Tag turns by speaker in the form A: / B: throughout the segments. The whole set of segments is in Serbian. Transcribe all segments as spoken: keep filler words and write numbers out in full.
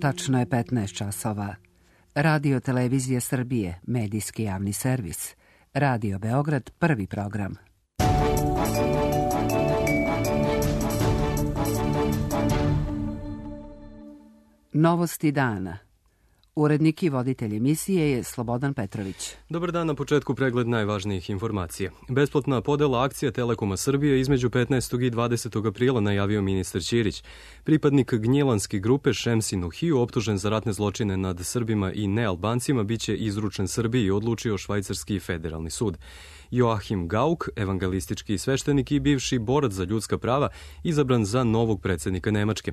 A: Tačno je petnaest časova. Radio Televizija Srbije, medijski javni servis. Radio Beograd, prvi program. Novosti dana. Urednik i voditelj emisije je Slobodan Petrović.
B: Dobar dan, na početku pregled najvažnijih informacija. Besplatna podela akcija Telekoma Srbije između petnaestog i dvadesetog aprila najavio ministar Ćirić. Pripadnik Gnjilanske grupe Šemsin Uhiju, optužen za ratne zločine nad Srbima i nealbancima, biće izručen Srbiji, odlučio švajcarski federalni sud. Joachim Gauck, evangelistički sveštenik i bivši borac za ljudska prava, izabran za novog predsjednika Nemačke.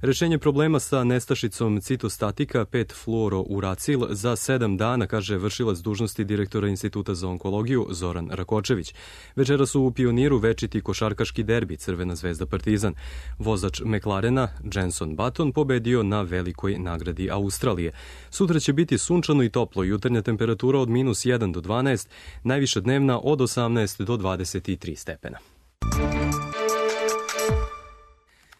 B: Rešenje problema sa nestašicom citostatika pet fluorouracil za sedam dana, kaže vršilac dužnosti direktora Instituta za onkologiju Zoran Rakočević. Večera su u Pioniru večiti košarkaški derbi Crvena zvezda Partizan. Vozač McLarena, Jenson Button, pobedio na velikoj nagradi Australije. Sutra će biti sunčano i toplo, jutarnja temperatura od minus jedan do dvanaest, najviša dnevna od osamnaest do dvadeset tri stepena.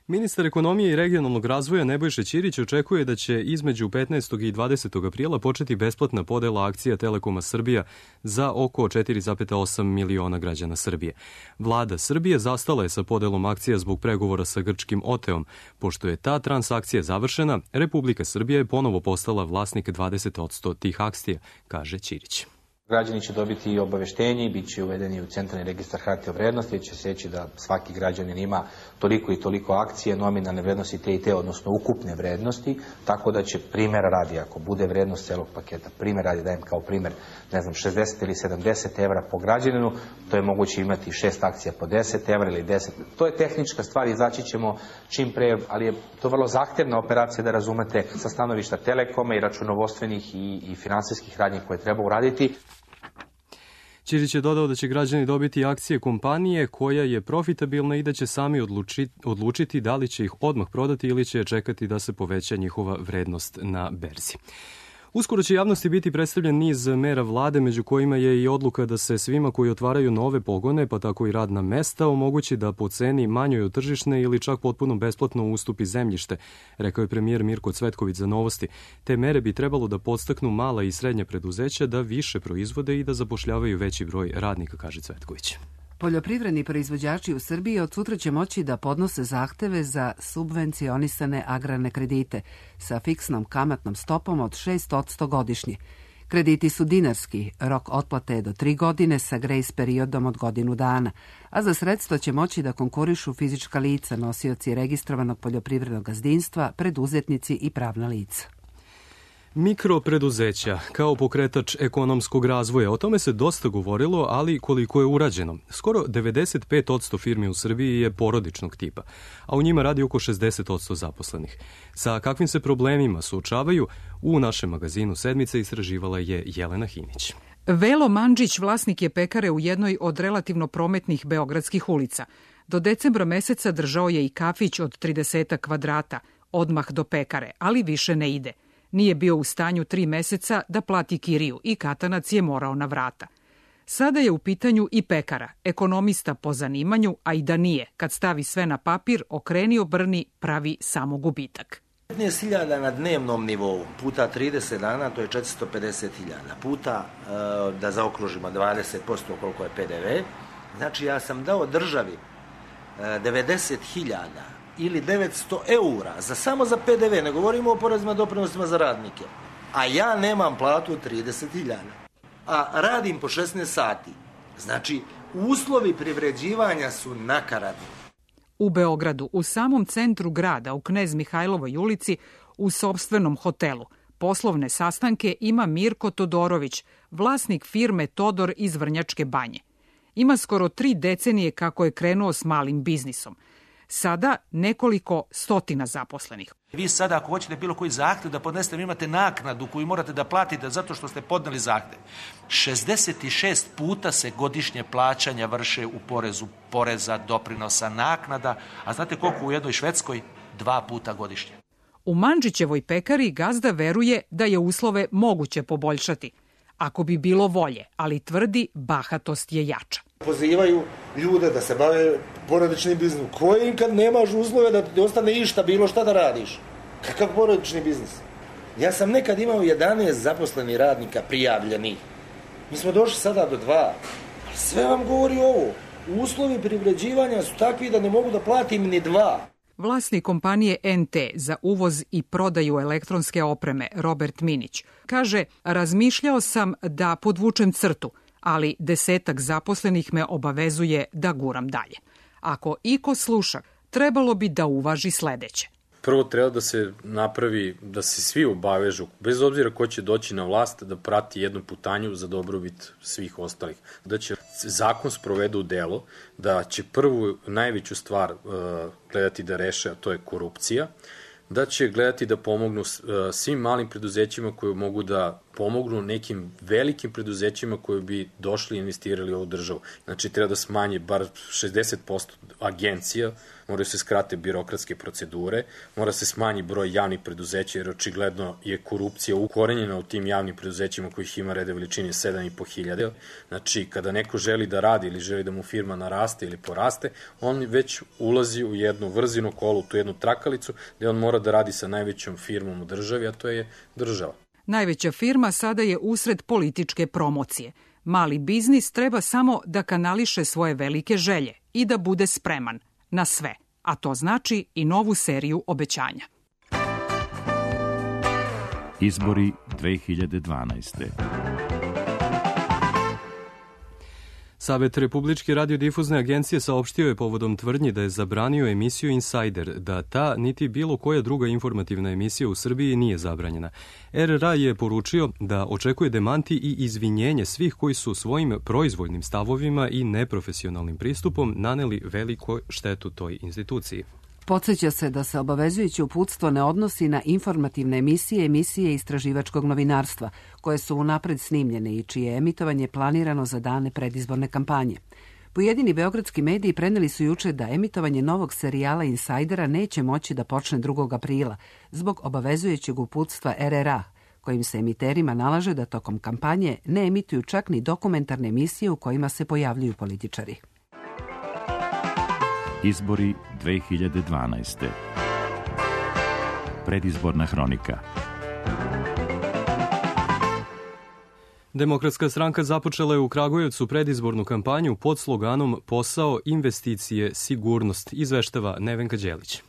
B: Ministar ekonomije i regionalnog razvoja Nebojša Ćirić očekuje da će između petnaestog i dvadesetog aprila početi besplatna podela akcija Telekoma Srbija za oko četiri zarez osam miliona građana Srbije. Vlada Srbije zastala je sa podelom akcija zbog pregovora sa grčkim Oteom. Pošto je ta transakcija završena, Republika Srbija je ponovo postala vlasnik dvadeset posto tih akcija, kaže Ćirić.
C: Građani će dobiti i obaveštenje i bit će uvedeni u centralni registar hartija od vrednosti, gdje će se reći da svaki građanin ima toliko i toliko akcije, nominalne vrednosti te i te, odnosno ukupne vrednosti, tako da će primjera radi, ako bude vrednost celog paketa, primjer radi, dajem kao primjer, ne znam, šezdeset ili sedamdeset evra po građaninu, to je moguće imati šest akcija po deset evra ili deset. To je tehnička stvar, izaći ćemo čim pre, ali je to vrlo zahtevna operacija da razumete sa stanovišta Telekoma i računovodstvenih i, i finansijskih radnji koje treba uraditi.
B: Ćirić je dodao da će građani dobiti akcije kompanije koja je profitabilna i da će sami odlučiti, odlučiti da li će ih odmah prodati ili će čekati da se poveća njihova vrednost na berzi. Uskoro će javnosti biti predstavljen niz mera vlade, među kojima je i odluka da se svima koji otvaraju nove pogone, pa tako i radna mesta, omogući da po ceni manjoj od tržišne ili čak potpuno besplatno ustupi zemljište, rekao je premijer Mirko Cvetković za Novosti. Te mere bi trebalo da podstaknu mala i srednja preduzeća da više proizvode i da zapošljavaju veći broj radnika, kaže Cvetković.
A: Poljoprivredni proizvođači u Srbiji od sutra će moći da podnose zahteve za subvencionisane agrarne kredite sa fiksnom kamatnom stopom od šest posto godišnje. Krediti su dinarski, rok otplate je do tri godine sa grejs periodom od godinu dana, a za sredstva će moći da konkurišu fizička lica, nosioci registrovanog poljoprivrednog gazdinstva, preduzetnici i pravna lica.
B: Mikropreduzeća kao pokretač ekonomskog razvoja. O tome se dosta govorilo, ali koliko je urađeno. Skoro devedeset pet posto firmi u Srbiji je porodičnog tipa, a u njima radi oko šezdeset posto zaposlenih. Sa kakvim se problemima suočavaju, u našem magazinu Sedmice istraživala je Jelena Hinić.
D: Velo Mandžić vlasnik je pekare u jednoj od relativno prometnih beogradskih ulica. Do decembra meseca držao je i kafić od trideset kvadrata, odmah do pekare, ali više ne ide. Nije bio u stanju tri meseca da plati kiriju i katanac je morao na vrata. Sada je u pitanju i pekara, ekonomista po zanimanju, a i da nije, kad stavi sve na papir, okreni obrni, pravi samo gubitak.
E: petnaest hiljada na dnevnom nivou, puta trideset dana, to je četiristo pedeset hiljada, puta, da zaokružimo, dvadeset posto koliko je pe de ve, znači ja sam dao državi devedeset hiljada ili devetsto eura, za, samo za pe de ve, ne govorimo o porezima doprinosima za radnike, a ja nemam platu od trideset hiljada, a radim po šesnaest sati. Znači, uslovi privređivanja su nakaradni.
D: U Beogradu, u samom centru grada, u Knez Mihajlovoj ulici, u sopstvenom hotelu, poslovne sastanke ima Mirko Todorović, vlasnik firme Todor iz Vrnjačke Banje. Ima skoro tri decenije kako je krenuo s malim biznisom. Sada nekoliko stotina zaposlenih.
F: Vi sada ako hoćete bilo koji zahtev da podnesete, vi imate naknadu koju morate da platite zato što ste podneli zahtev. šezdeset šest puta se godišnje plaćanja vrše u porezu, poreza, doprinosa, naknada, a znate koliko u jednoj Švedskoj? Dva puta godišnje.
D: U Mandžićevoj pekari gazda veruje da je uslove moguće poboljšati, ako bi bilo volje, ali tvrdi bahatost je jača.
E: Pozivaju ljude da se bave porodičnim biznisom. Koji kad nemaš uslove da ti ostane išta bilo šta da radiš? Kakav porodični biznis? Ja sam nekad imao jedanaest zaposlenih radnika prijavljenih. Mi smo došli sada do dva. Sve vam govori ovo. Uslovi privređivanja su takvi da ne mogu da platim ni dva.
D: Vlasnik kompanije en te za uvoz i prodaju elektronske opreme, Robert Minić, kaže: razmišljao sam da podvučem crtu, ali desetak zaposlenih me obavezuje da guram dalje. Ako iko sluša, trebalo bi da uvaži sledeće.
G: Prvo treba da se napravi, da se svi obavežu, bez obzira ko će doći na vlast, da prati jednu putanju za dobrobit svih ostalih. Da će zakon sprovedu u delo, da će prvu najveću stvar uh, gledati da reše, a to je korupcija, da će gledati da pomognu uh, svim malim preduzećima koji mogu da pomognu nekim velikim preduzećima koji bi došli i investirali u ovu državu. Znači, treba da smanje bar šezdeset posto agencija, moraju se skrate birokratske procedure, mora se smanji broj javnih preduzeća, jer očigledno je korupcija ukorenjena u tim javnim preduzećima kojih ima rede veličine sedam i po hiljade. Znači, kada neko želi da radi ili želi da mu firma naraste ili poraste, on već ulazi u jednu vrzino kolu, tu jednu trakalicu, gde on mora da radi sa najvećom firmom u državi, a to je država.
D: Najveća firma sada je usred političke promocije. Mali biznis treba samo da kanališe svoje velike želje i da bude spreman na sve, a to znači i novu seriju obećanja.
H: Izbori dve hiljade dvanaeste.
B: Savet Republičke radiodifuzne agencije saopštio je povodom tvrdnji da je zabranio emisiju Insider, da ta niti bilo koja druga informativna emisija u Srbiji nije zabranjena. er er a je poručio da očekuje demanti i izvinjenje svih koji su svojim proizvoljnim stavovima i neprofesionalnim pristupom naneli veliku štetu toj instituciji.
A: Podsjeća se da se obavezujuće uputstvo ne odnosi na informativne emisije, emisije istraživačkog novinarstva, koje su unapred snimljene i čije je emitovanje planirano za dane predizborne kampanje. Pojedini beogradski mediji preneli su juče da emitovanje novog serijala Insajdera neće moći da počne drugog aprila, zbog obavezujućeg uputstva er er a, kojim se emiterima nalaže da tokom kampanje ne emituju čak ni dokumentarne emisije u kojima se pojavljuju političari.
H: Izbori dve hiljade dvanaeste. Predizborna hronika.
B: Demokratska stranka započela je u Kragujevcu predizbornu kampanju pod sloganom Posao, investicije, sigurnost, izveštava Nevenka Đelić.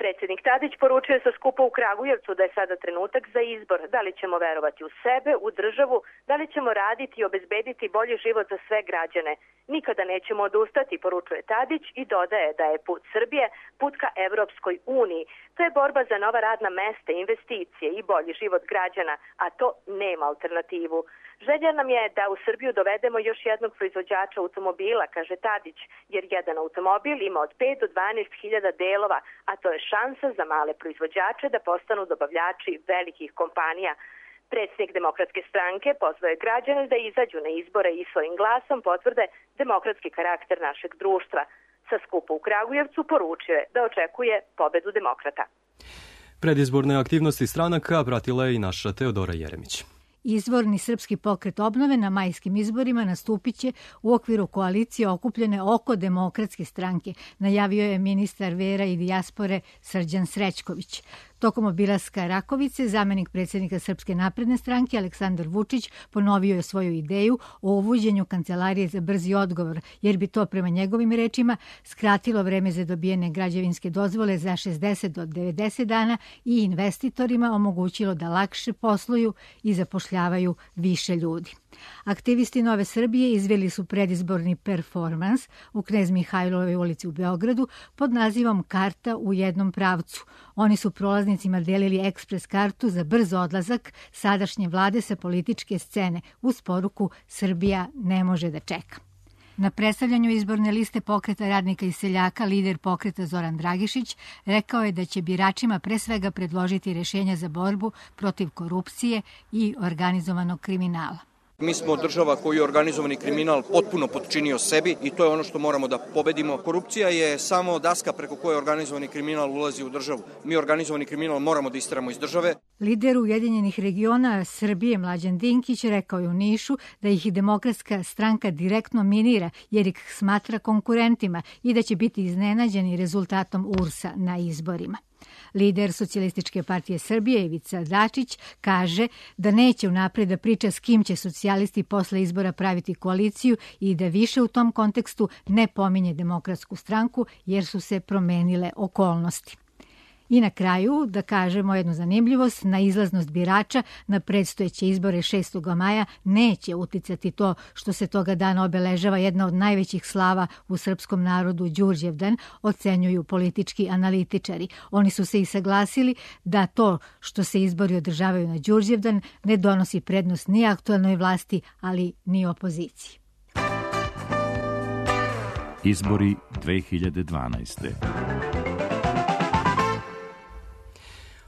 I: Predsjednik Tadić poručio sa skupa u Kragujevcu da je sada trenutak za izbor. Da li ćemo verovati u sebe, u državu, da li ćemo raditi i obezbediti bolji život za sve građane. Nikada nećemo odustati, poručuje Tadić i dodaje da je put Srbije put ka Evropskoj uniji. To je borba za nova radna mesta, investicije i bolji život građana, a to nema alternativu. Želja nam je da u Srbiju dovedemo još jednog proizvođača automobila, kaže Tadić, jer jedan automobil ima od pet do dvanaest hiljada delova, a to je šansa za male proizvođače da postanu dobavljači velikih kompanija. Predsjednik Demokratske stranke pozvao je građane da izađu na izbore i svojim glasom potvrde demokratski karakter našeg društva. Sa skupa u Kragujevcu poručio je da očekuje pobedu demokrata.
B: Predizborne aktivnosti stranaka pratila je i naša Teodora Jeremić.
J: Izvorni Srpski pokret obnove na majskim izborima nastupit će u okviru koalicije okupljene oko Demokratske stranke, najavio je ministar vera i dijaspore Srđan Srećković. Tokom obilaska Rakovice, zamenik predsjednika Srpske napredne stranke Aleksandar Vučić ponovio je svoju ideju o uvođenju kancelarije za brzi odgovor, jer bi to prema njegovim rečima skratilo vreme za dobijene građevinske dozvole za šezdeset do devedeset dana i investitorima omogućilo da lakše posluju i zapošljavaju više ljudi. Aktivisti Nove Srbije izveli su predizborni performans u Knez Mihajlovoj ulici u Beogradu pod nazivom Karta u jednom pravcu. Oni su prolaznicima delili ekspres kartu za brz odlazak sadašnje vlade sa političke scene uz poruku Srbija ne može da čeka. Na predstavljanju izborne liste Pokreta radnika i seljaka lider pokreta Zoran Dragišić rekao je da će biračima pre svega predložiti rešenja za borbu protiv korupcije i organizovanog kriminala.
K: Mi smo država koju je organizovani kriminal potpuno potčinio sebi i to je ono što moramo da pobedimo. Korupcija je samo daska preko koje organizovani kriminal ulazi u državu. Mi organizovani kriminal moramo da isteramo iz države.
J: Lider Ujedinjenih regiona Srbije Mlađan Dinkić rekao je u Nišu da ih i Demokratska stranka direktno minira jer ih smatra konkurentima i da će biti iznenađeni rezultatom U R S-a na izborima. Lider Socijalističke partije Srbije Ivica Dačić kaže da neće unapred da priča s kim će socijalisti posle izbora praviti koaliciju i da više u tom kontekstu ne pominje Demokratsku stranku jer su se promenile okolnosti. I na kraju da kažemo jednu zanimljivost, na izlaznost birača na predstojeće izbore šestog maja neće uticati to što se toga dana obeležava jedna od najvećih slava u srpskom narodu Đurđevdan, ocenjuju politički analitičari. Oni su se i saglasili da to što se izbori održavaju na Đurđevdan ne donosi prednost ni aktuelnoj vlasti, ali ni opoziciji.
H: Izbori dve hiljade dvanaeste.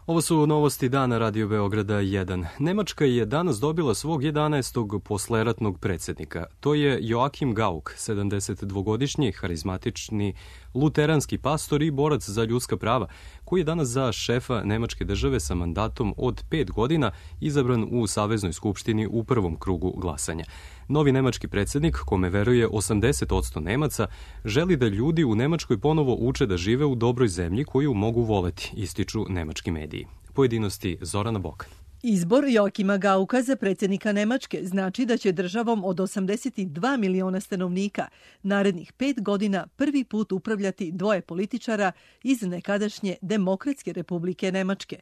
B: Ovo su novosti dana Radio Beograda jedan. Nemačka je danas dobila svog jedanaestog posleratnog predsjednika. To je Joachim Gauck, sedamdesetdvogodišnji, harizmatični luteranski pastor i borac za ljudska prava, koji je danas za šefa Nemačke države sa mandatom od pet godina izabran u Saveznoj skupštini u prvom krugu glasanja. Novi nemački predsjednik, kome veruje osamdeset posto Nemaca, želi da ljudi u Nemačkoj ponovo uče da žive u dobroj zemlji koju mogu voleti, ističu nemački mediji. Pojedinosti Zorana Bokan.
L: Izbor Joakima Gauka za predsjednika Nemačke znači da će državom od osamdeset dva miliona stanovnika narednih pet godina prvi put upravljati dvoje političara iz nekadašnje Demokratske republike Nemačke.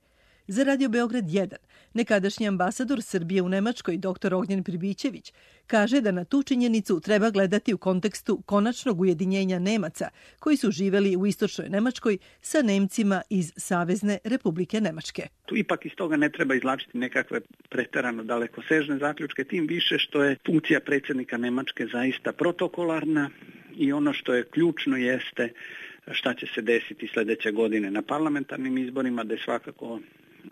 L: Za Radio Beograd jedan, nekadašnji ambasador Srbije u Nemačkoj, dr Ognjen Pribićević, kaže da na tu činjenicu treba gledati u kontekstu konačnog ujedinjenja Nemaca koji su živeli u istočnoj Nemačkoj sa Nemcima iz Savezne republike Nemačke.
M: Tu ipak iz toga ne treba izvlačiti nekakve preterano dalekosežne zaključke, tim više što je funkcija predsjednika Nemačke zaista protokolarna i ono što je ključno jeste šta će se desiti sljedeće godine na parlamentarnim izborima, da je svakako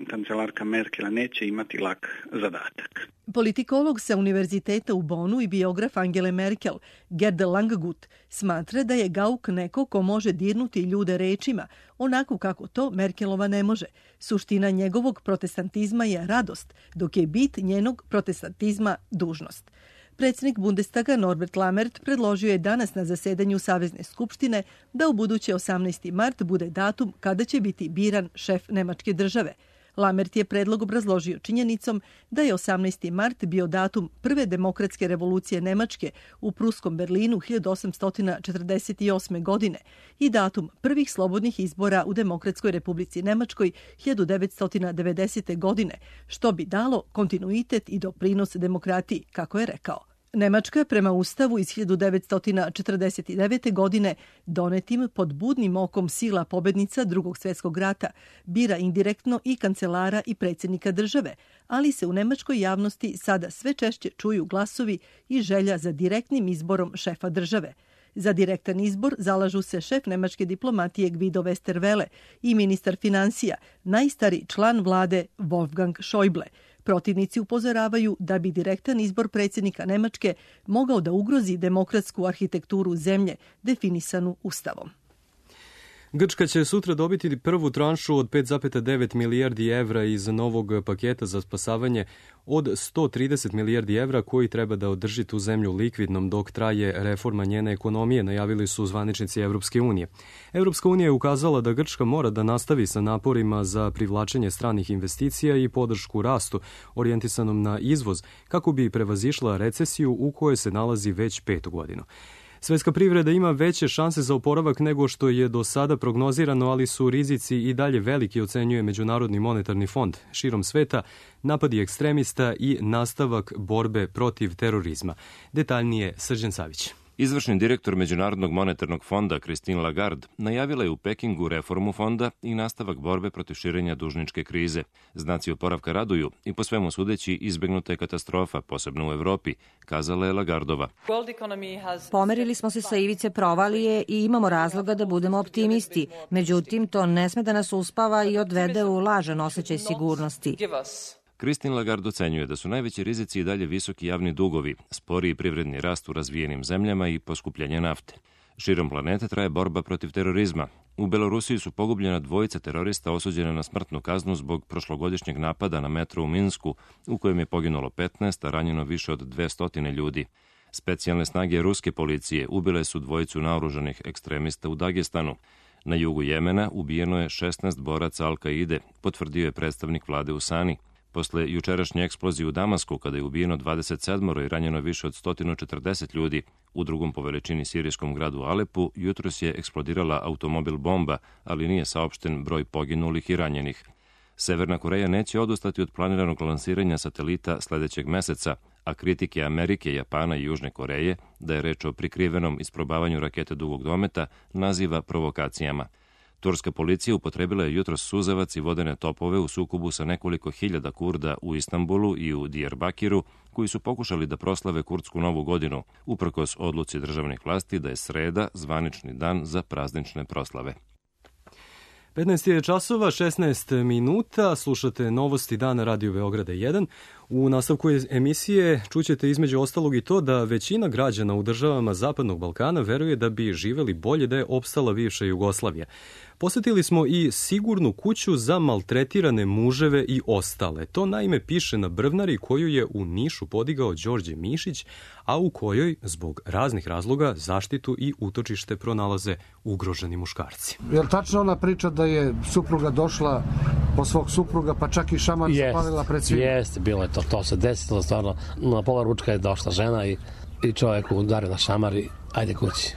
M: kancelarka Merkela neće imati lak zadatak.
L: Politikolog sa univerziteta u Bonu i biograf Angele Merkel, Gerd Langgut, smatra da je Gauck neko ko može dirnuti ljude rečima, onako kako to Merkelova ne može. Suština njegovog protestantizma je radost, dok je bit njenog protestantizma dužnost. Predsjednik Bundestaga Norbert Lammert predložio je danas na zasedanju Savezne skupštine da u buduće osamnaesti mart bude datum kada će biti biran šef Nemačke države. Lammert je predlog obrazložio činjenicom da je osamnaesti mart bio datum prve demokratske revolucije Nemačke u pruskom Berlinu hiljadu osamsto četrdeset osme. godine i datum prvih slobodnih izbora u Demokratskoj republici Nemačkoj hiljadu devetsto devedesete. godine, što bi dalo kontinuitet i doprinos demokratiji, kako je rekao. Nemačka je prema Ustavu iz hiljadu devetsto četrdeset devete. godine donetim pod budnim okom sila pobednica Drugog svjetskog rata bira indirektno i kancelara i predsjednika države, ali se u nemačkoj javnosti sada sve češće čuju glasovi i želja za direktnim izborom šefa države. Za direktan izbor zalažu se šef nemačke diplomatije Guido Westerwelle i ministar financija, najstariji član vlade Wolfgang Schäuble. Protivnici upozoravaju da bi direktan izbor predsjednika Nemačke mogao da ugrozi demokratsku arhitekturu zemlje definisanu Ustavom.
B: Grčka će sutra dobiti prvu tranšu od pet zarez devet milijardi evra iz novog paketa za spasavanje od sto trideset milijardi evra koji treba da održi tu zemlju likvidnom dok traje reforma njene ekonomije, najavili su zvaničnici Evropske unije. Evropska unija je ukazala da Grčka mora da nastavi sa naporima za privlačenje stranih investicija i podršku rastu orijentisanom na izvoz kako bi prevazišla recesiju u kojoj se nalazi već petu godinu. Svetska privreda ima veće šanse za oporavak nego što je do sada prognozirano, ali su rizici i dalje veliki, ocenjuje Međunarodni monetarni fond. Širom sveta napadi ekstremista i nastavak borbe protiv terorizma. Detaljnije Srđan Savić.
N: Izvršni direktor Međunarodnog monetarnog fonda Christine Lagarde najavila je u Pekingu reformu fonda i nastavak borbe protiv širenja dužničke krize. Znaci oporavka raduju i po svemu sudeći izbegnuta je katastrofa, posebno u Evropi, kazala je Lagardova.
O: Pomerili smo se sa ivice provalije i imamo razloga da budemo optimisti. Međutim, to ne sme da nas uspava i odvede u lažan osjećaj sigurnosti.
N: Christine Lagarde ocenjuje da su najveći rizici i dalje visoki javni dugovi, sporiji privredni rast u razvijenim zemljama i poskupljanje nafte. Širom planete traje borba protiv terorizma. U Belorusiji su pogubljena dvojica terorista osuđena na smrtnu kaznu zbog prošlogodišnjeg napada na metro u Minsku, u kojem je poginulo petnaest, a ranjeno više od dvesta ljudi. Specijalne snage ruske policije ubile su dvojicu naoružanih ekstremista u Dagestanu. Na jugu Jemena ubijeno je šesnaest boraca Al-Kaide, potvrdio je predstavnik vlade u Sani. Posle jučerašnje eksplozije u Damasku, kada je ubijeno dvadeset sedam i ranjeno više od sto četrdeset ljudi, u drugom po veličini sirijskom gradu Alepu, jutros je eksplodirala automobil bomba, ali nije saopšten broj poginulih i ranjenih. Severna Koreja neće odustati od planiranog lansiranja satelita sledećeg meseca, a kritike Amerike, Japana i Južne Koreje, da je reč o prikrivenom isprobavanju rakete dugog dometa, naziva provokacijama. Turska policija upotrebila je jutros suzavac i vodene topove u sukobu sa nekoliko hiljada Kurda u Istanbulu i u Diyarbakiru, koji su pokušali da proslave kurdsku novu godinu, uprkos odluci državnih vlasti da je sreda zvanični dan za praznične proslave.
B: petnaest je časova, šesnaest minuta, slušate novosti dana Radio Beograda jedan. U nastavku emisije čućete između ostalog i to da većina građana u državama Zapadnog Balkana veruje da bi živeli bolje da je opstala bivša Jugoslavija. Posetili smo i sigurnu kuću za maltretirane muževe i ostale. To naime piše na brvnari koju je u Nišu podigao Đorđe Mišić, a u kojoj, zbog raznih razloga, zaštitu i utočište pronalaze ugroženi muškarci.
P: Je li tačno ona priča da je supruga došla po svog supruga, pa čak i šamar zapalila pred svima?
Q: Jeste, bilo je to. To se desilo stvarno. Na pola ručka je došla žena i, i čovjek udario na šamar i ajde kući.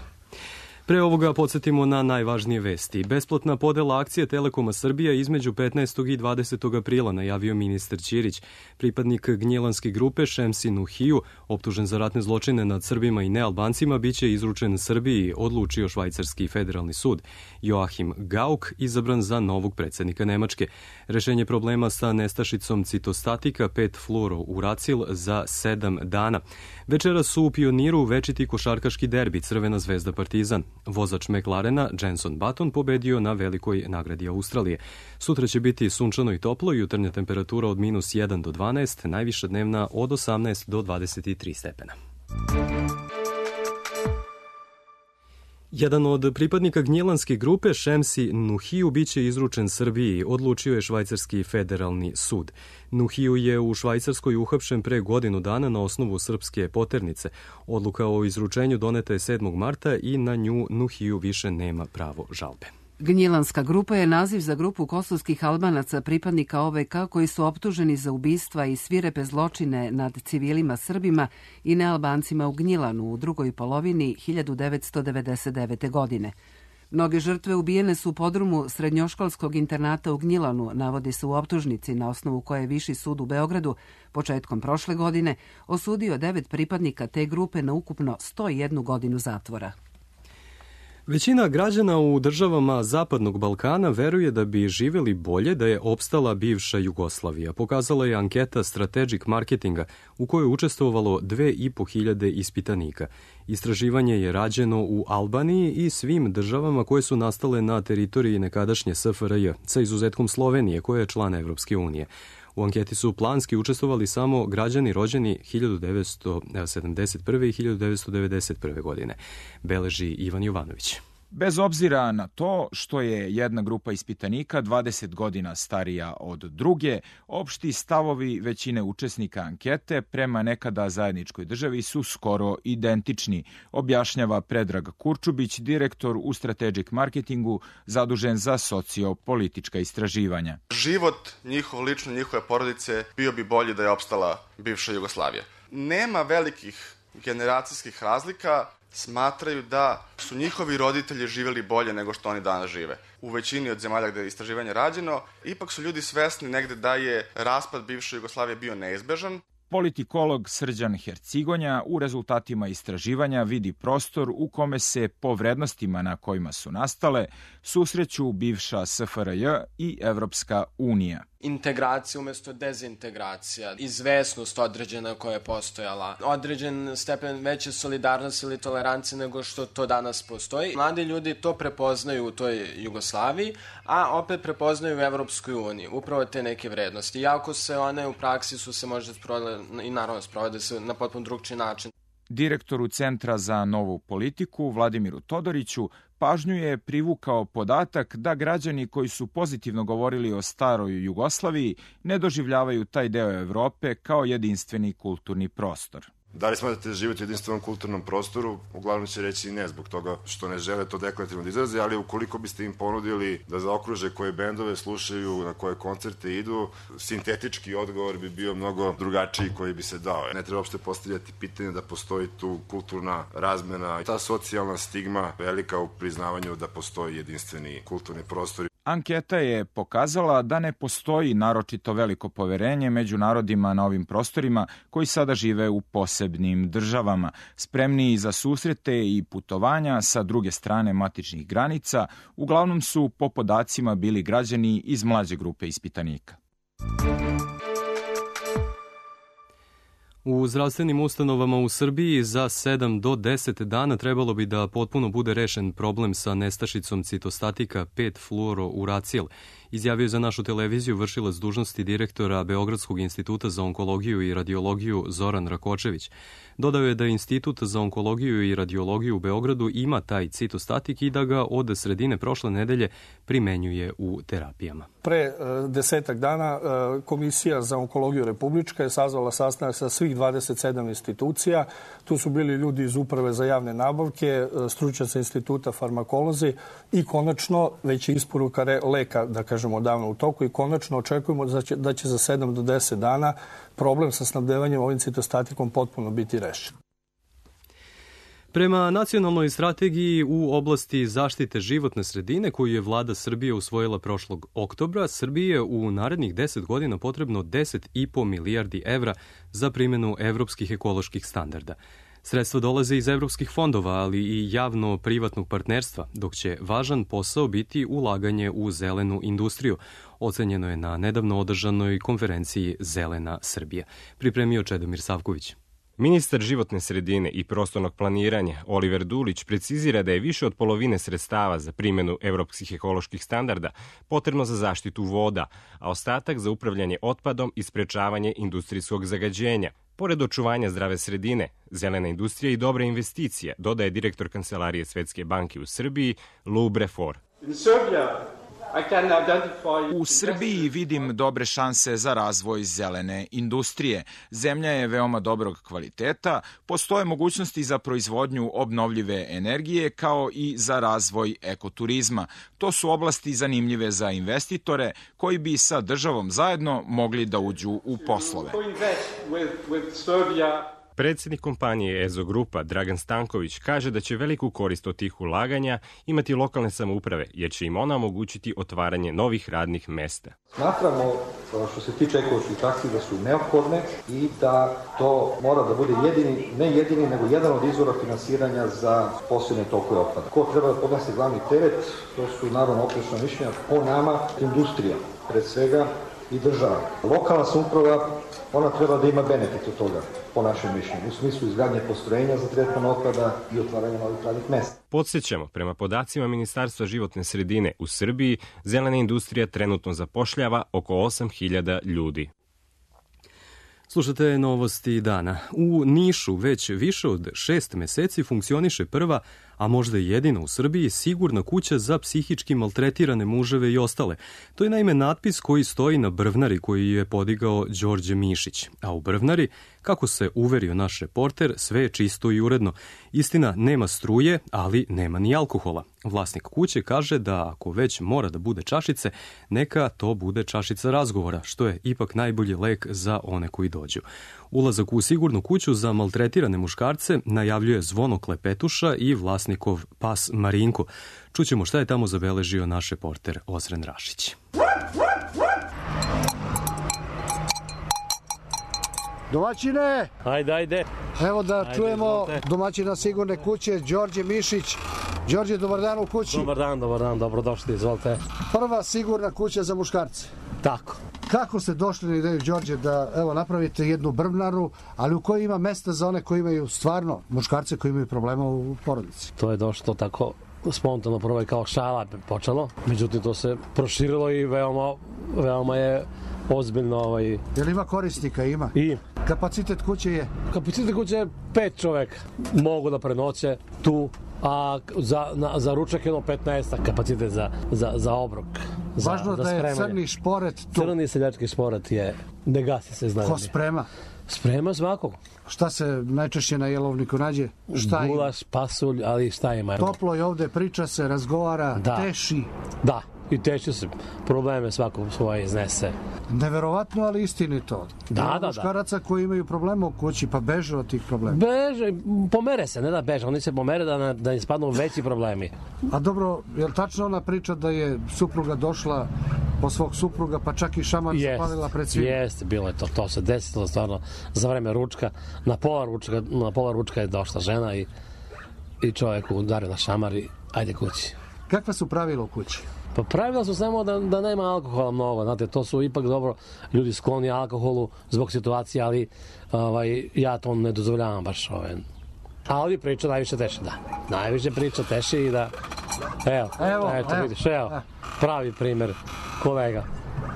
B: Pre ovoga podsjetimo na najvažnije vesti. Besplatna podela akcije Telekoma Srbija između petnaestog i dvadesetog aprila, najavio ministar Ćirić. Pripadnik gnjelanske grupe Šemsi Nuhiju, optužen za ratne zločine nad Srbima i nealbancima, biće izručen Srbiji, odlučio švajcarski federalni sud. Joachim Gauck izabran za novog predsjednika Nemačke. Rešenje problema sa nestašicom citostatika pet fluorouracil za sedam dana. Večera su u Pioniru večiti košarkaški derbi Crvena zvezda Partizan. Vozač McLarena Jenson Button pobedio na velikoj nagradi Australije. Sutra će biti sunčano i toplo, jutarnja temperatura od minus jedan do dvanaest, najviša dnevna od osamnaest do dvadeset tri stepena. Jedan od pripadnika gnjelanske grupe Šemsi Nuhiju biće izručen Srbiji, odlučio je švajcarski federalni sud. Nuhiju je u Švajcarskoj uhapšen pre godinu dana na osnovu srpske poternice. Odluka o izručenju doneta je sedmog marta i na nju Nuhiju više nema pravo žalbe.
A: Gnjilanska grupa je naziv za grupu kosovskih Albanaca pripadnika O V K koji su optuženi za ubistva i svirepe zločine nad civilima Srbima i nealbancima u Gnjilanu u drugoj polovini hiljadu devetsto devedeset devete. godine. Mnoge žrtve ubijene su u podrumu srednjoškolskog internata u Gnjilanu, navodi se u optužnici na osnovu koje je Viši sud u Beogradu početkom prošle godine osudio devet pripadnika te grupe na ukupno sto jednu godinu zatvora.
B: Većina građana u državama Zapadnog Balkana veruje da bi živeli bolje da je opstala bivša Jugoslavija. Pokazala je anketa Strategic Marketinga u kojoj je učestvovalo dve i po hiljade ispitanika. Istraživanje je rađeno u Albaniji i svim državama koje su nastale na teritoriji nekadašnje S F R J, sa izuzetkom Slovenije koja je član Evropske unije. U anketi su planski učestvovali samo građani rođeni hiljadu devetsto sedamdeset prve i hiljadu devetsto devedeset prve. godine, beleži Ivan Jovanović.
R: Bez obzira na to što je jedna grupa ispitanika dvadeset godina starija od druge, opšti stavovi većine učesnika ankete prema nekada zajedničkoj državi su skoro identični, objašnjava Predrag Kurčubić, direktor u Strategic Marketingu zadužen za sociopolitička istraživanja.
S: Život njihov, lično njihove porodice, bio bi bolji da je opstala bivša Jugoslavija. Nema velikih generacijskih razlika, smatraju da su njihovi roditelji živjeli bolje nego što oni danas žive. U većini od zemalja gde je istraživanje rađeno, ipak su ljudi svesni negde da je raspad bivše Jugoslavije bio neizbežan.
R: Politikolog Srđan Hercigonja u rezultatima istraživanja vidi prostor u kome se po vrednostima na kojima su nastale susreću bivša S F R J i Evropska unija.
T: Integracija umjesto dezintegracija, izvesnost određena koja je postojala, određen stepen veće solidarnosti ili tolerancije nego što to danas postoji. Mladi ljudi to prepoznaju u toj Jugoslaviji, a opet prepoznaju u Evropskoj uniji, upravo te neke vrednosti. Iako se one u praksi su se možda sprovode i naravno sprovode se na potpuno drugčiji način.
R: Direktoru Centra za novu politiku Vladimiru Todoriću pažnju je privukao podatak da građani koji su pozitivno govorili o staroj Jugoslaviji ne doživljavaju taj deo Evrope kao jedinstveni kulturni prostor.
U: Da li smatrate da živite u jedinstvenom kulturnom prostoru? Uglavnom će reći ne, zbog toga što ne žele to deklarativno da izraze, ali ukoliko biste im ponudili da zaokruže koje bendove slušaju, na koje koncerte idu, sintetički odgovor bi bio mnogo drugačiji koji bi se dao. Ne treba uopšte postavljati pitanje da postoji tu kulturna razmena, ta socijalna stigma velika u priznavanju da postoji jedinstveni kulturni prostor.
R: Anketa je pokazala da ne postoji naročito veliko poverenje među narodima na ovim prostorima koji sada žive u posebnim državama, spremniji za susrete i putovanja sa druge strane matičnih granica, uglavnom su po podacima bili građani iz mlađe grupe ispitanika.
B: U zdravstvenim ustanovama u Srbiji za sedam do deset dana trebalo bi da potpuno bude rešen problem sa nestašicom citostatika pet fluorouracil, izjavio je za našu televiziju vršilac dužnosti direktora Beogradskog instituta za onkologiju i radiologiju Zoran Rakočević. Dodao je da Institut za onkologiju i radiologiju u Beogradu ima taj citostatik i da ga od sredine prošle nedelje primenjuje u terapijama.
V: Pre desetak dana Komisija za onkologiju republička je sazvala sastanak sa svih dvadeset sedam institucija. Tu su bili ljudi iz Uprave za javne nabavke, stručnjaci instituta, farmakolozi i konačno već je isporuka leka, da kažemo, odavno u toku i konačno očekujemo da će, da će za sedam do deset dana problem sa snabdevanjem ovim citostatikom potpuno biti rešen.
B: Prema nacionalnoj strategiji u oblasti zaštite životne sredine koju je vlada Srbije usvojila prošlog oktobra, Srbiji je u narednih deset godina potrebno deset i po milijardi evra za primjenu evropskih ekoloških standarda. Sredstva dolaze iz evropskih fondova, ali i javno-privatnog partnerstva, dok će važan posao biti ulaganje u zelenu industriju. Ocenjeno je na nedavno održanoj konferenciji Zelena Srbija. Pripremio Čedomir Savković.
W: Ministar životne sredine i prostornog planiranja Oliver Dulić precizira da je više od polovine sredstava za primjenu evropskih ekoloških standarda potrebno za zaštitu voda, a ostatak za upravljanje otpadom i sprečavanje industrijskog zagađenja. Pored očuvanja zdrave sredine, zelena industrija i dobre investicije, dodaje direktor Kancelarije Svetske banke u Srbiji, Lou Brefor.
R: U Srbiji vidim dobre šanse za razvoj zelene industrije. Zemlja je veoma dobrog kvaliteta, postoje mogućnosti za proizvodnju obnovljive energije kao i za razvoj ekoturizma. To su oblasti zanimljive za investitore koji bi sa državom zajedno mogli da uđu u poslove.
W: Predsjednik kompanije Ezo Grupa, Dragan Stanković, kaže da će veliku korist od tih ulaganja imati lokalne samouprave, jer će im ona omogućiti otvaranje novih radnih mesta.
X: Smatramo, što se tiče ekoloških taksi, da su neophodne i da to mora da bude jedini, ne jedini, nego jedan od izvora finansiranja za posebne tokove otpada. Ko treba da podnese glavni teret, to su naravno oprečna mišljenja, po nama industrija, pred svega, i država. Lokalna samouprava, ona treba da ima benefit od toga, po našem mišljenju, u smislu izgradnje postrojenja za tretman otpada i otvaranja novih radnih mesta.
W: Podsjećamo, prema podacima Ministarstva životne sredine u Srbiji, zelena industrija trenutno zapošljava oko osam hiljada ljudi.
B: Slušate novosti dana. U Nišu već više od šest meseci funkcioniše prva, a možda i jedina u Srbiji, sigurna kuća za psihički maltretirane muževe i ostale. To je naime natpis koji stoji na brvnari koji je podigao Đorđe Mišić. A u brvnari, kako se uverio naš reporter, sve je čisto i uredno. Istina, nema struje, ali nema ni alkohola. Vlasnik kuće kaže da ako već mora da bude čašice, neka to bude čašica razgovora, što je ipak najbolji lek za one koji dođu. Ulazak u sigurnu kuću za maltretirane muškarce najavljuje Zvono Klepetuša i vlasnikov pas Marinko. Čućemo šta je tamo zabeležio naš reporter Ozren Rašić.
P: Domaćine!
Y: Ajde, ajde.
P: Evo da
Y: ajde,
P: čujemo
Y: izvolite.
P: domaćina sigurne kuće, Đorđe Mišić. Đorđe, dobar dan u kući.
Y: Dobar dan, dobar dan, dobrodošli, izvolite.
P: Prva sigurna kuća za muškarce.
Y: Tako.
P: Kako ste došli na ideju, Đorđe, da evo napravite jednu brvnaru, ali u kojoj ima mesta za one koji imaju stvarno muškarce koji imaju problema u porodici?
Y: To je došlo tako spontano, prvo je kao šala počelo, međutim to se proširilo i veoma, veoma je ozbiljno. Ovaj...
P: Je li ima korisnika? Ima.
Y: I.
P: Kapacitet kuće je?
Y: Kapacitet kuće je pet čoveka. Mogu da prenoće tu, a za, na, za ručak jedno petnaest kapacitet za, za, za obrok.
P: Važno
Y: za,
P: da
Y: za
P: je crni šporet tu.
Y: Crni seljački šporet je, ne gasi se, znam.
P: Ko sprema?
Y: Sprema svakog.
P: Šta se najčešće na jelovniku nađe? Šta
Y: Gulaš, pasulj, ali šta ima?
P: Toplo je ovde, priča se, razgovara,
Y: da.
P: teši.
Y: Da, i teši se. Probleme svako svoje iznese.
P: Neverovatno, ali istinito.
Y: Da, da, da.
P: Muškaraca koji imaju problema u kući, pa beže od tih problema.
Y: Beže, pomere se, ne da beže, oni se pomere da, da im spadnu veći problemi.
P: A dobro, je li tačno ona priča da je supruga došla po svog supruga, pa čak i šamar zapalila pred svima?
Y: Jeste, bilo je to, to se desilo stvarno za vreme ručka, na pola ručka, na pola ručka je došla žena i, i čovjek udario na šamar i ajde kući.
P: Kakva su pravila u kući?
Y: Pa pravila su samo da, da nema alkohola mnogo, znate, to su ipak dobro ljudi skloni alkoholu zbog situacije, ali ovaj, ja to ne dozvoljavam baš. Ovaj. Ali priča najviše teši, da. Najviše priča teši i da, evo,
P: evo
Y: eto,
P: evo,
Y: vidiš, evo, evo, pravi primer kolega,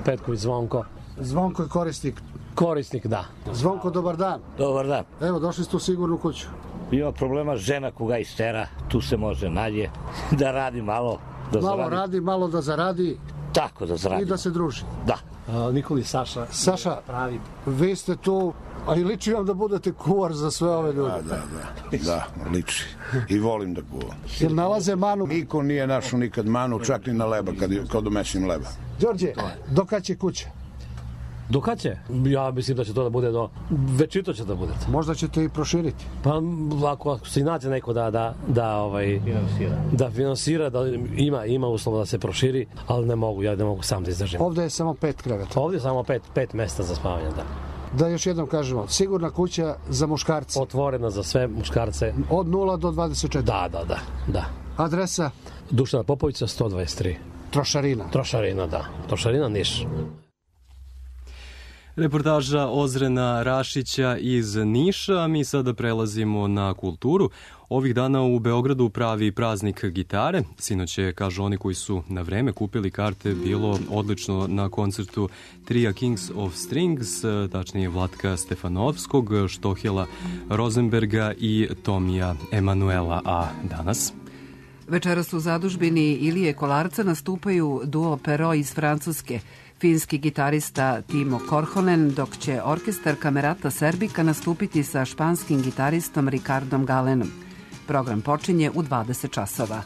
Y: Petković Zvonko.
P: Zvonko je korisnik.
Y: Korisnik, da.
P: Zvonko, dobar dan.
C: Dobar dan.
P: Evo, došli ste u sigurnu kuću.
C: Ima problema žena koga istera, tu se može nađe, da radi malo. Da
P: malo
C: zaradi.
P: radi, malo da zaradi.
C: Tako da zaradi.
P: I da se druži.
C: Da.
Y: A, Nikoli Saša.
P: Saša,
Y: pravi.
P: Vi ste tu, a i liči vam da budete kuvar za sve ove ljude.
D: Da, da, da, da, liči. I volim da kuvam.
P: Jel nalaze manu?
D: Niko nije našao nikad manu, čak ni na leba, kad, kad umesim leba.
P: Đorđe, do kad će kuća?
Y: Do kad će? Ja mislim da će to da bude do... Večito će da bude.
P: Možda ćete i proširiti.
Y: Pa ako se nađe neko da, da, da, ovaj,
C: finansira.
Y: da finansira, da ima, ima uslova da se proširi, ali ne mogu, ja ne mogu sam da izdržim.
P: Ovde je samo pet kreveta.
Y: Ovde je samo pet, pet mesta za spavanje, da.
P: Da još jednom kažemo, sigurna kuća za muškarce.
Y: Otvorena za sve muškarce.
P: Od nula do dvadeset četiri.
Y: Da, da, da. da.
P: Adresa?
Y: Dušana Popovića, sto dvadeset tri.
P: Trošarina?
Y: Trošarina, da. Trošarina, Niš.
B: Reportaža Ozrena Rašića iz Niša. Mi sada prelazimo na kulturu. Ovih dana u Beogradu pravi praznik gitare. Sinoć je, kažu oni koji su na vreme kupili karte, bilo odlično na koncertu trija Kings of Strings, tačnije Vlatka Stefanovskog, Štohjela Rozenberga i Tomija Emanuela. A danas?
A: Večeras u zadužbini Ilije Kolarca nastupaju duo Pero iz Francuske, finski gitarista Timo Korhonen, dok će orkestar Kamerata Serbika nastupiti sa španskim gitaristom Ricardom Galenom. Program počinje u dvadeset časova.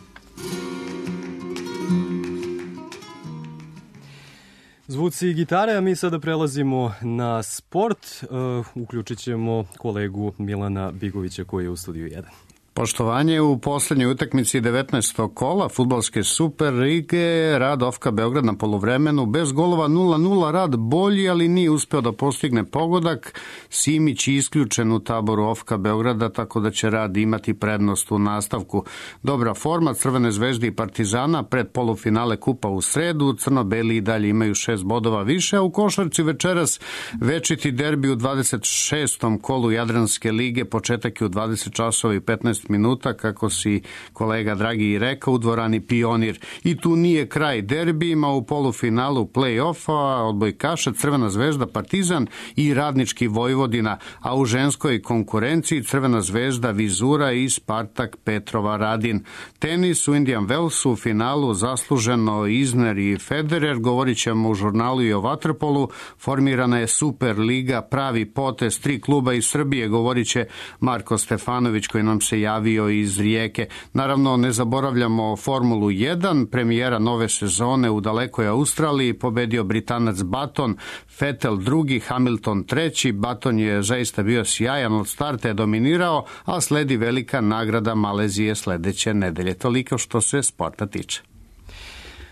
B: Zvuci gitare, a mi sada prelazimo na sport. Uh, uključit ćemo kolegu Milana Bigovića koji je u studiju jedan.
E: Poštovanje u poslednjoj utakmici devetnaestog kola fudbalske Super lige, rad Ofka Beograd na poluvremenu bez golova nula nula, rad bolji, ali nije uspeo da postigne pogodak. Simić je isključen u taboru Ofka Beograda, tako da će rad imati prednost u nastavku. Dobra forma Crvene zvezde i Partizana pred polufinale kupa u sredu, crno-beli i dalje imaju šest bodova više, a u košarci večeras večiti derbi u dvadeset šestom kolu Jadranske lige, početak je u dvadeset časova i petnaest minuta, kako si kolega Dragi i rekao, u dvorani Pionir. I tu nije kraj derbijima, u polufinalu play-offa odbojkaša Crvena zvezda Partizan i Radnički Vojvodina, a u ženskoj konkurenciji Crvena zvezda Vizura i Spartak Petrova Radin. Tenis u Indian Wellsu u finalu zasluženo Isner i Federer, govorit ćemo u žurnalu i o vaterpolu. Formirana je Super liga, pravi potez, tri kluba iz Srbije, govorit će Marko Stefanović koji nam se javio iz Rijeke. Naravno, ne zaboravljamo Formulu jedan, premijera nove sezone u dalekoj Australiji, pobedio Britanac Button, Vettel drugi, Hamilton treći. Button je zaista bio sjajan, od starta je dominirao, a sledi velika nagrada Malezije sledeće nedelje. Toliko što se sporta tiče.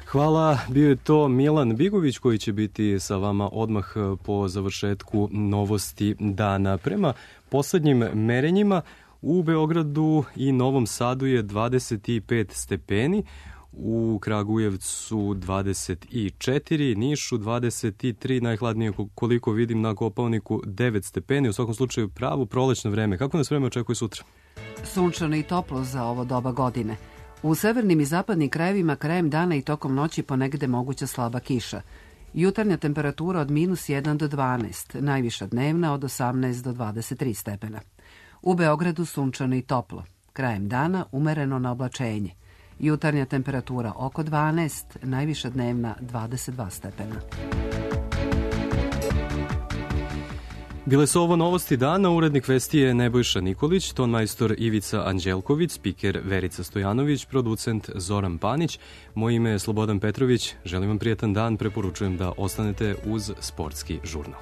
B: Hvala, bio je to Milan Bigović koji će biti sa vama odmah po završetku novosti dana. Prema poslednjim merenjima, u Beogradu i Novom Sadu je dvadeset pet stepeni, u Kragujevcu dvadeset četiri, Nišu dvadeset tri, najhladnije koliko vidim na Kopaoniku devet stepeni, u svakom slučaju pravo prolećno vreme. Kako nas vreme očekuje sutra?
A: Sunčano i toplo za ovo doba godine. U severnim i zapadnim krajevima krajem dana i tokom noći ponegde moguća slaba kiša. Jutarnja temperatura od minus jedan do dvanaest, najviša dnevna od osamnaest do dvadeset tri stepena. U Beogradu sunčano i toplo. Krajem dana umereno na oblačenje. Jutarnja temperatura oko dvanaest, najviša dnevna dvadeset dva stepena.
B: Bile su ovo novosti dana, urednik vesti je Nebojša Nikolić, tonmajstor Ivica Anđelković, spiker Verica Stojanović, producent Zoran Panić. Moje ime je Slobodan Petrović, želim vam prijetan dan, preporučujem da ostanete uz Sportski žurnal.